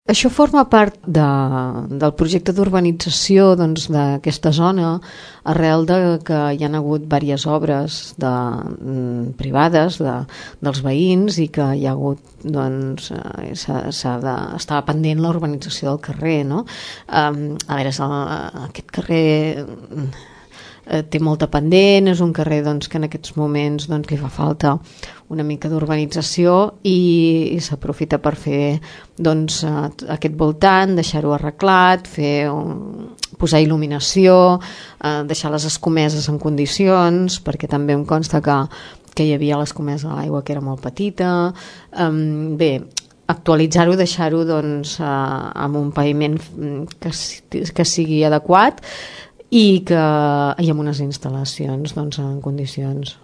Això forma part del projecte d'urbanització d'aquesta zona, arrel de que hi ha hagut diverses obres privades dels veïns i que hi ha hagut, estava pendent la urbanització del carrer, no? A veure, aquest carrer té molta pendent, és un carrer que en aquests moments li fa falta una mica d'urbanització i s'aprofita per fer aquest voltant, deixar-ho arreglat, posar il·luminació, deixar les escomeses en condicions, perquè també em consta que hi havia l'escomesa a l'aigua que era molt petita. Bé, actualitzar-ho, deixar-ho amb un paviment que sigui adequat i amb unes instal·lacions en condicions.